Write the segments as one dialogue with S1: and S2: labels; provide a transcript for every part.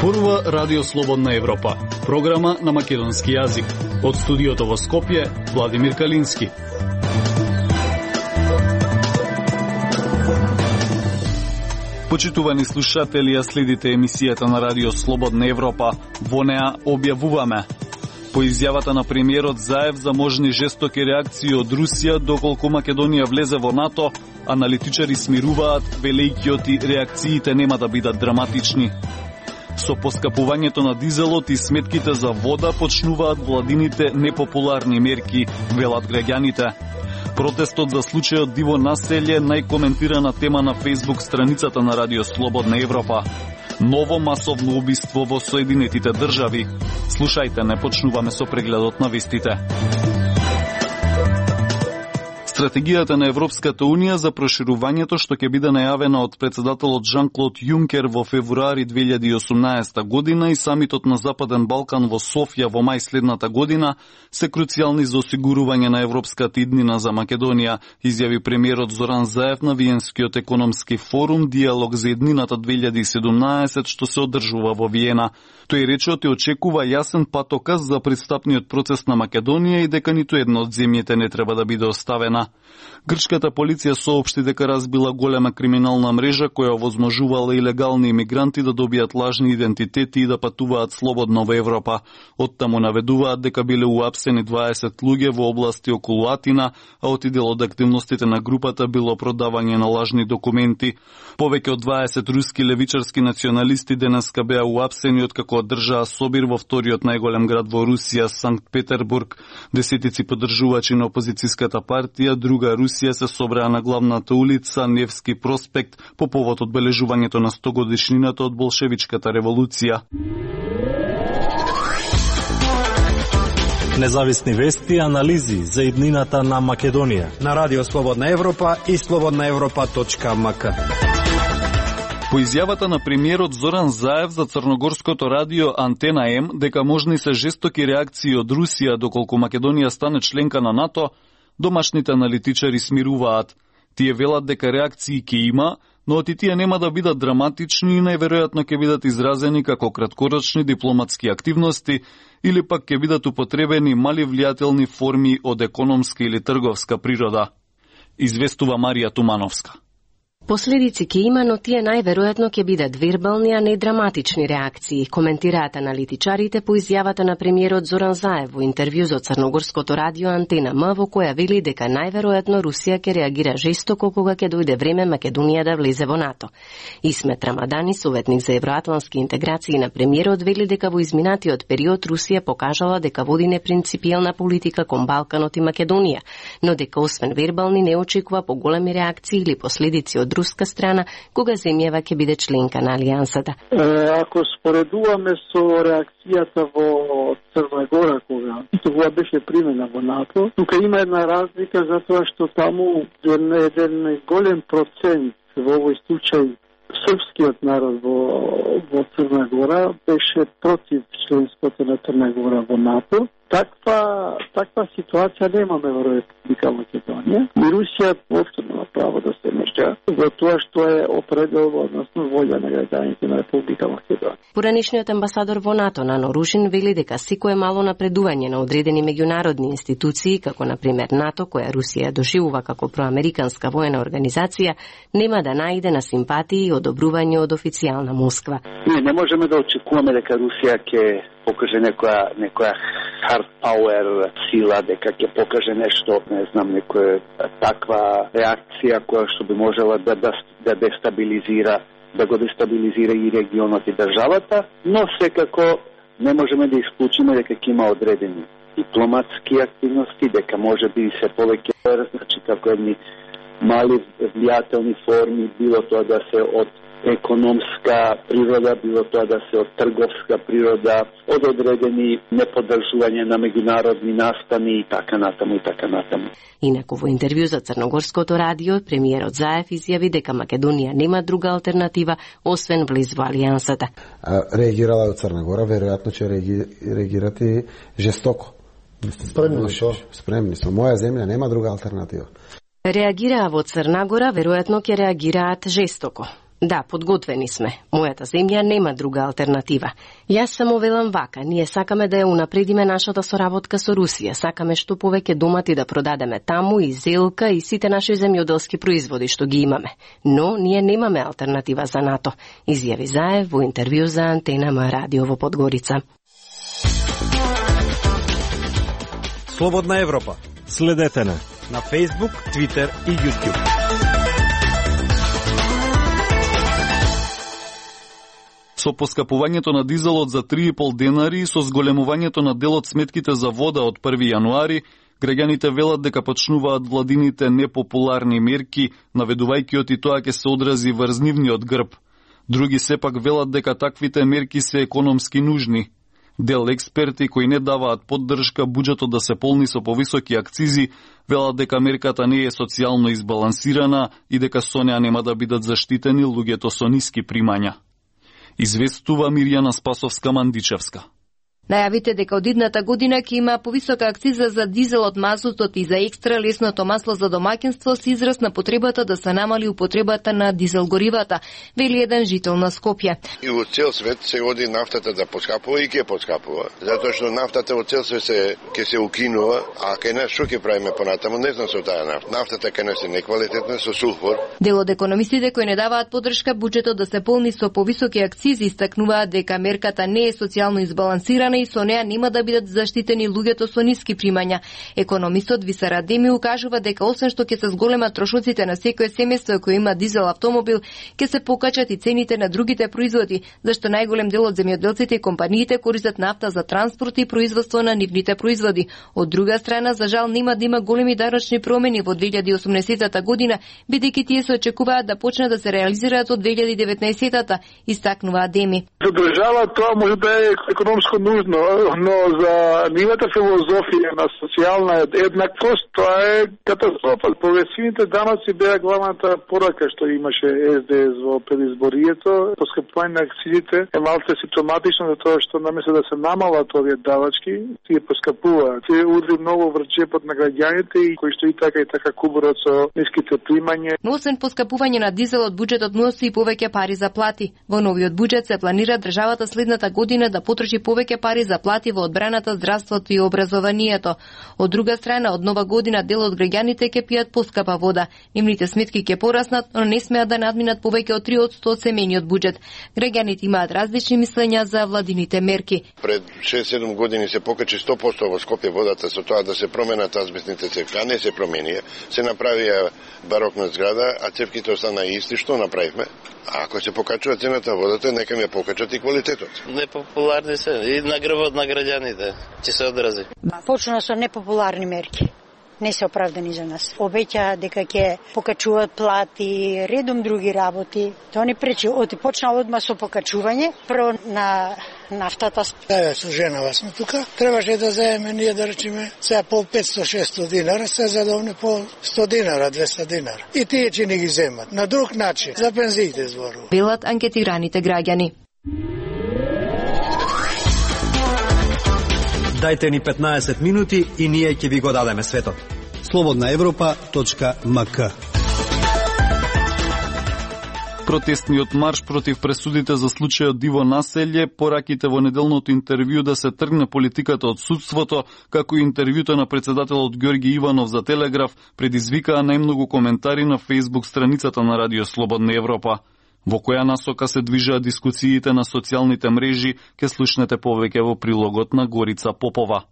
S1: Зборува Радио Слободна Европа, програма на македонски јазик. Од студиото во Скопје, Владимир Калински. Почитувани слушатели, ја следите емисијата на Радио Слободна Европа. Во неа објавуваме: по изјавата на премиерот Заев за можни жестоки реакции од Русија доколку Македонија влезе во НАТО, аналитичари смируваат, велејќи реакциите нема да бидат драматични. Со поскапувањето на дизелот и сметките за вода почнуваат владините непопуларни мерки, велат граѓаните. Протестот за случајот диво населје најкоментирана тема на Facebook страницата на Радио Слободна Европа. Ново масовно убиство во Соединетите држави. Слушајте, не почнуваме со прегледот на вестите. Стратегијата на Европската Унија за проширувањето што ќе биде најавена од председателот Жан-Клод Јункер во февруари 2018 година и самитот на Западен Балкан во Софија во мај следната година се круцијални за осигурување на европската иднина за Македонија, изјави премиерот Зоран Заев на Виенскиот економски форум Диалог за иднината 2017 што се одржува во Виена. Тој рече те очекува јасен патоказ за пристапниот процес на Македонија и дека ниту една од земјите не треба да биде оставена. Грчката полиција соопшти дека разбила голема криминална мрежа која овозможувала илегални имигранти да добијат лажни идентитети и да патуваат слободно во Европа. Оттаму наведуваат дека биле уапсени 20 луѓе во области околу Атина, а од дел од активностите на групата било продавање на лажни документи. Повеќе од 20 руски левичарски националисти денеска беа уапсени откако одржаа собир во вториот најголем град во Русија, Санкт Петербург. Десетици поддржувачи на опозицијската партија Друга Русија се собраа на главната улица Невски проспект по повод одбележувањето на 100 годишнината од болшевичката револуција.
S2: Независни вести и анализи за иднината на Македонија
S3: на Радио Слободна Европа и slobodnaevropa.mk.
S1: По изјавата на премиерот Зоран Заев за црногорското радио Антена М дека можни се жестоки реакции од Русија доколку Македонија стане членка на НАТО, домашните аналитичари смируваат. Тие велат дека реакции ќе има, но тие нема да бидат драматични и најверојатно ќе бидат изразени како краткорочни дипломатски активности или пак ќе бидат употребени мали влијателни форми од економска или трговска природа. Известува Марија Тумановска.
S4: Последици ќе има, но тие најверојатно ќе бидат вербални, а не драматични реакции, коментираат аналитичарите по изјавата на премиерот Зоран Заев во интервју за црногорското радио Антена М, во која вели дека најверојатно Русија ќе реагира жестоко кога ќе дојде време Македонија да влезе во НАТО. Исмет Рамадани, советник за евроатлански интеграции на премиерот, вели дека во изминатиот период Русија покажала дека води непринципијална политика кон Балканот и Македонија, но дека освен вербални не очекува поголеми реакции или последици од руска страна кога земјава ќе биде членка на алијансата.
S5: Ако споредуваме со реакцијата во Црна Гора кога тоа беше примена во НАТО, тука има една разлика затоа што таму еден голем процент во овој случај српскиот народ во Црна Гора беше против членството на Црна Гора во НАТО. Таква ситуација немаме во Република Македонија. И Русија воопшто нема право да се меша во тоа што е определено, односно волја на граѓаните на Република Македонија.
S4: Поранишниот амбасадор во НАТО Нано Рушин вели дека секое мало напредување на одредени меѓународни институции, како на пример НАТО, која Русија доживува како проамериканска воена организација, нема да најде на симпатии и одобрување од официјална Москва.
S6: Ние не можеме да очекуваме дека Русија ќе покаже некоја hard power сила, дека ќе покаже нешто, не знам, некоја таква реакција која што би можела да дестабилизира, да го дестабилизира и регионот и државата, но секако не можеме да исклучиме дека ќе има одредени дипломатски активности, дека може би се повеќе, значи како едни мали влијателни форми, било тоа да се од економска природа, било тоа да се од трговска природа, од одредени неподржување на меѓународни настани и така натаму.
S4: Инаку во интервју за црногорското радио, премиерот Заев изјави дека Македонија нема друга алтернатива освен влез во алијансата.
S7: Реагирала од Црна Гора, веројатно ќе реагирате жестоко. Спремни сме. Моја земја нема друга алтернатива.
S4: Реагираа во Црна Гора, веројатно ќе реагираат жестоко. Да, подготвени сме. Мојата земја нема друга алтернатива. Јас само велам вака, ние сакаме да ја унапредиме нашата соработка со Русија, сакаме што повеќе домати да продадеме таму и зелка и сите наши земјоделски производи што ги имаме. Но ние немаме алтернатива за НАТО, изјави Заев во интервју за Антена М радио во Подгорица.
S3: Слободна Европа.
S2: Следете
S3: на Facebook, Twitter и YouTube.
S1: Со поскапувањето на дизелот за 3,5 денари и со зголемувањето на делот сметките за вода од 1 јануари, граѓаните велат дека почнуваат владините непопуларни мерки, наведувајќи од и тоа ќе се одрази врз нивниот грб. Други сепак велат дека таквите мерки се економски нужни. Дел експерти кои не даваат поддршка буџетот да се полни со повисоки акцизи, велат дека мерката не е социјално избалансирана и дека со неа нема да бидат заштитени луѓето со ниски примања. Известува Мирјана Спасовска-Мандичевска.
S8: Најавите дека од идната година ќе има повисока акциза за дизелот, мазутот и за екстра лесното масло за домаќинство се израз на потребата да се намали употребата на дизел горивата, вели еден жител на Скопје.
S9: И во цел свет се оди нафтата да поскапува и ќе поскапува, затоа што нафтата во цел свет ќе се укинува, а кај нас што ќе правиме понатаму, не знам со таа нафта. Нафтата кај нас е неквалитетна со сулфур.
S8: Дел од економистите кои не даваат поддршка буџетот да се полни со повисоки акцизи истакнуваат дека мерката не е социјално избалансирана и со неа нема да бидат заштитени луѓето со ниски примања. Економистот Висар Адеми укажува дека освен што ќе се зголемат трошоците на секое семејство кој има дизел автомобил, ќе се покачат и цените на другите производи, зашто најголем дел од земјоделците и компаниите користат нафта за транспорт и производство на нивните производи. Од друга страна, за жал нема да има големи даночни промени во 2018 година, бидејќи тие се очекуваат да почнат да се реализираат од 2019-та, истакнува Адеми.
S5: За држава тоа може да е економско нужно, но за нивната филозофија на социјална еднаквост тоа е катастрофа. Прогресивните даноци беа главната порака што имаше СДС во предизборието. Поскапување на акцизите е малце симптоматично за тоа што наместо да се намалат овие давачки, тие поскапуваат. Тие удри многу врз џепот на граѓаните и кои што и така кубурат со ниските примања.
S8: Но освен поскапување на дизелот, буџетот носи и повеќе пари за плати. Во новиот буџет се планира државата следната година да потроши повеќе пари за плати во одбраната, здравството и образованието. Од друга страна, од нова година дел од граѓаните ќе пијат поскапа вода. Нивните сметки ќе пораснат, но не смеат да надминат повеќе од 3% од семејниот буџет. Граѓаните имаат различни мислења за владините мерки.
S9: Пред 6-7 години се покачи 100% во Скопје водата со тоа да се променат азбестните цевки, а не се променија. Се направија барокна зграда, а цевките остана исти. Што направивме? А ако се покачува цената водата, нека ми ја покачат и квалитетот.
S10: Непопуларни се и на грбот на граѓаните ќе се одрази.
S11: Почна со непопуларни мерки. Не се оправдани за нас. Обеќаа дека ќе покачуваат плати, редом други работи. Тоа не пречи. Почна одма со покачување. Прво на нафтата.
S12: Со женава сме тука. Требаше да заеме ние да речеме сега по 500-600 динара, се задовне по 100 динара, 200 динара. И тие ќе не ги земат. На друг начин. За пензиите зборува.
S8: Велат анкетираните граѓани.
S3: Дајте ни 15 минути и ние ќе ви го дадеме светот.
S13: slobodnaevropa.mk.
S1: Протестниот марш против пресудите за случајот Диво Населје, пораките во неделното интервју да се тргне политиката од судството, како и интервјуто на председателот Ѓорги Иванов за Телеграф, предизвикаа најмногу коментари на Facebook страницата на Радио Слободна Европа. Во која насока се движат дискусиите на социјалните мрежи, ке слушнете повеќе во прилогот на Горица Попова.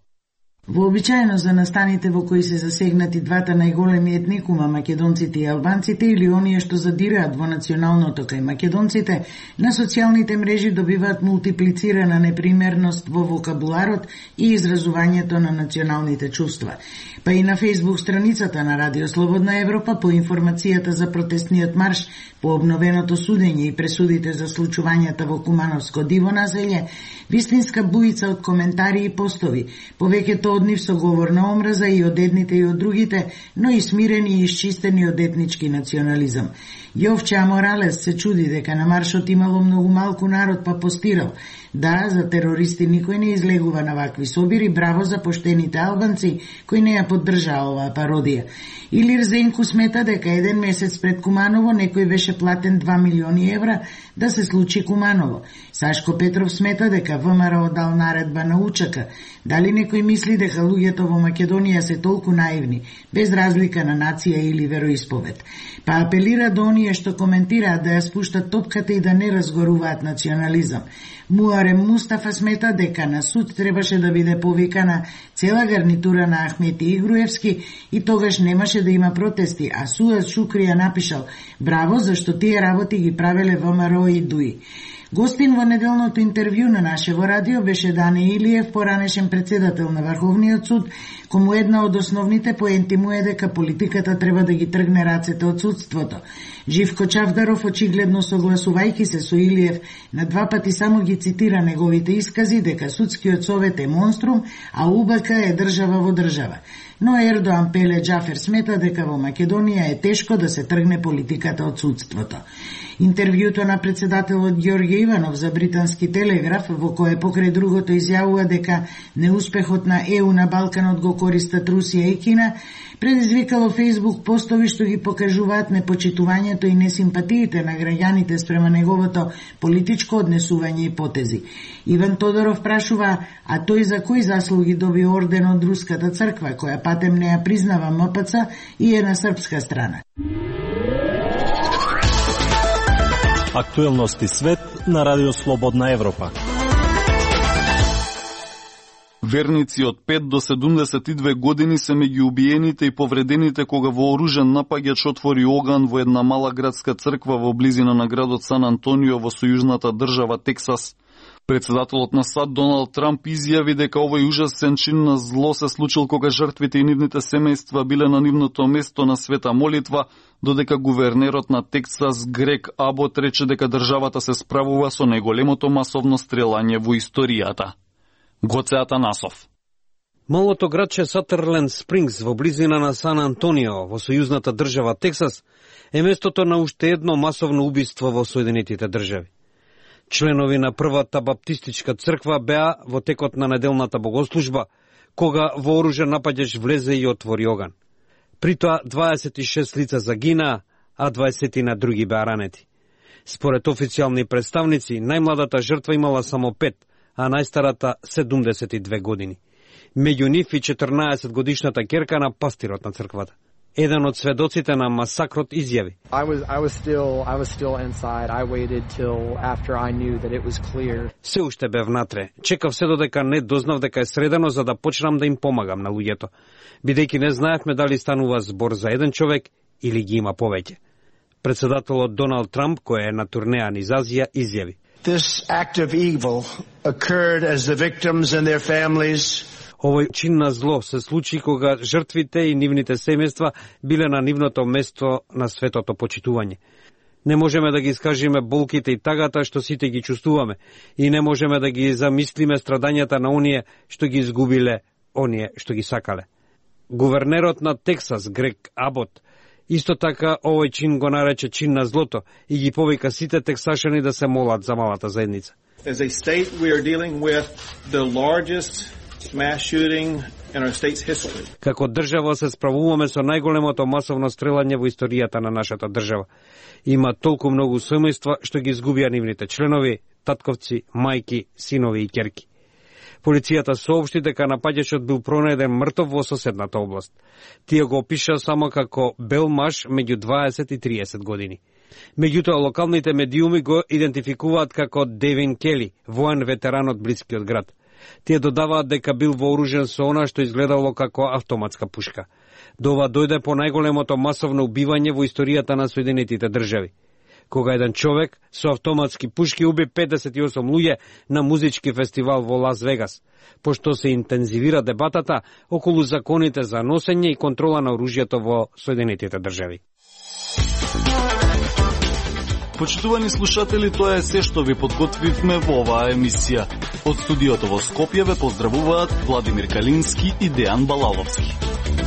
S14: Вообичаено за настаните во кои се засегнати двата најголеми етникума, македонците и албанците, или оние што задираат во националното кај македонците, на социјалните мрежи добиваат мултиплицирана непримерност во вокабуларот и изразувањето на националните чувства. Па и на Facebook страницата на Радио Слободна Европа по информацијата за протестниот марш, по обновеното судење и пресудите за случувањата во Кумановско Диво Населје, вистинска буица од коментари и постови, повеќето од нив со говор на омраза и од едните и од другите, но и смирени и исчистени од етнички национализам. Јовча Моралес се чуди дека на маршот имало многу малку народ, па постирал: да, за терористи никој не излегува на вакви собири, браво за поштените албанци кои не ја поддржаа оваа пародија. Илир Зенку смета дека еден месец пред Куманово некој беше платен 2 милиони евра да се случи Куманово. Сашко Петров смета дека ВМРО дал наредба на УЧК. Дали некој мисли дека луѓето во Македонија се толку наивни, без разлика на нација или вероисповед? Па апелира до оние што коментираат да ја спуштат топката и да не разгоруваат национализам. Муарем Мустафа смета дека на суд требаше да биде повикана цела гарнитура на Ахмети и Груевски и тогаш немаше да има протести, а Суаз Шукрија напишал: браво, зашто тие работи ги правеле ВМРО и ДУИ. Гостин во неделното интервју на нашево радио беше Дане Илиев, поранешен председател на Врховниот суд, кому една од основните поенти му е дека политиката треба да ги тргне рацете од судството. Живко Чавдаров, очигледно согласувајќи се со Илиев, на 2 пати само ги цитира неговите искази дека судскиот совет е монструм, а УБК е држава во држава. Но Ердоан Пеле Џафер смета дека во Македонија е тешко да се тргне политиката од судството. Интервјуто на председателот Ѓорѓе Иванов за британски телеграф, во кое покрај другото изјавува дека неуспехот на ЕУ на Балканот го користат Русија и Кина, предизвикало Фејсбук постови што ги покажуваат непочитувањето и несимпатиите на граѓаните спрема неговото политичко однесување и потези. Иван Тодоров прашува: а тој за кои заслуги доби орден од Руската црква, која патем не ја признава МПЦ и е на српска страна?
S2: Актуелности свет на Радио Слободна Европа.
S1: Верници од 5 до 72 години се меѓу убиените и повредените кога вооружен напаѓач отвори оган во една мала градска црква во близина на градот Сан Антонио во сојузната држава Тексас. Председателот на САД Доналд Трамп изјави дека овој ужасен чин на зло се случил кога жртвите и нивните семејства биле на нивното место на света молитва, додека гувернерот на Тексас Грег Абот рече дека државата се справува со најголемото масовно стрелање во историјата. Гоце Атанасов.
S13: Малото градче Сатърленд Спрингс во близина на Сан Антонио во сојузната држава Тексас е местото на уште едно масовно убиство во Соединетите држави. Членови на првата баптистичка црква беа во текот на неделната богослужба, кога вооружен напаѓач влезе и отвори оган. При тоа 26 лица загинаа, а 20 на други беа ранети. Според официјални представници, најмладата жртва имала само 5, а најстарата 72 години. Меѓу нив и 14 годишната ќерка на пастирот на црквата. Еден од сведоците на масакрот изјави: се уште бев внатре. Чекав се додека не дознав дека е средено за да почнам да им помагам на луѓето, бидејќи не знаевме дали станува збор за еден човек или ги има повеќе. Председателот Доналд Трамп, кој е на турнеа низ Азија, изјави:
S15: This act of evil occurred as the victims and their families
S13: Овој чин на зло се случи кога жртвите и нивните семејства биле на нивното место на светото почитување. Не можеме да ги искажиме болките и тагата што сите ги чувствуваме и не можеме да ги замислиме страдањата на оние што ги изгубиле, оние што ги сакале. Гувернерот на Тексас, Грег Абот, исто така овој чин го нарече чин на злото и ги повика сите тексашани да се молат за малата заедница.
S16: As a state, we are dealing with the largest mass shooting in our state's history.
S13: Како држава се справуваме со најголемото масовно стрелање во историјата на нашата држава. Има толку многу семејства што ги изгубија нивните членови, татковци, мајки, синови и ќерки. Полицијата соопшти дека напаѓачот бил пронајден мртов во соседната област. Тие го опиша само како бел маж меѓу 20 и 30 години. Меѓутоа, локалните медиуми го идентификуваат како Девин Кели, воен ветеран од блискиот град. Тие додаваат дека бил вооружен со она што изгледало како автоматска пушка. До ова дојде по најголемото масовно убивање во историјата на Соединетите држави, кога еден човек со автоматски пушки уби 58 луѓе на музички фестивал во Лас Вегас, пошто се интензивира дебатата околу законите за носење и контрола на оружјето во Соединетите држави.
S1: Почитувани слушатели, тоа е се што ви подготвивме во оваа емисија. Од студиото во Скопје ве поздравуваат Владимир Калински и Дејан Балаловски.